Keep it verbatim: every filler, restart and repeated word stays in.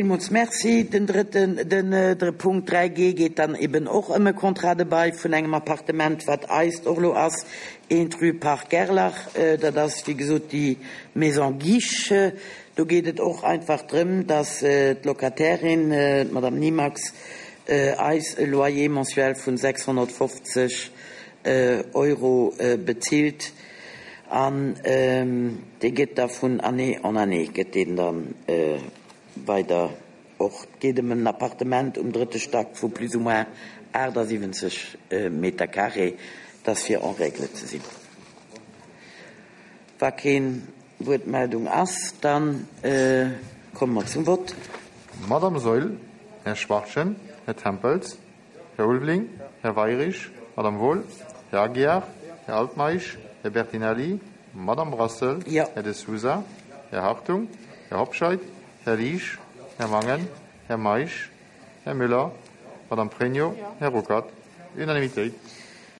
Villmools Merci. Den drëtten, den Punkt dräi G geet dann eben och ëm e Contrat de bail vun engem Appartement, wat eist och elo ass, eent rue Parc Gerlach. Dat ass, wéi gesot, déi Maison Guiche. Do geet et och einfach drëm, dass d'Locatairin, d'Madame Nimax, eis e Loyer mensuel vun sechshonnertfofzeg Euro bezilt an dee gëtt da vun Année en année gëtt deen dann weider och. Et geet ëm en Appartement um drëtte Stack vu plus ou moins achtasiwwenzeg Meter carré. Et ass fir en règle ze sinn. Wa keen Wuertmeldung ass, da komme mer zum Vott. Madame Saeul, Här Schwachtgen, Här Tempels, Här Ulveling, Här Weyrich, Madame Wohl, Här Aguiar, Här Altmeisch, Här Bertinelli, Madame Brassel, Här De Sousa, Här Hartung, Här Hobscheit, Här Liesch, Här Mangen, Här Meisch, Här Müller, Madame Pregno, Här Ruckert. Unanimitéit.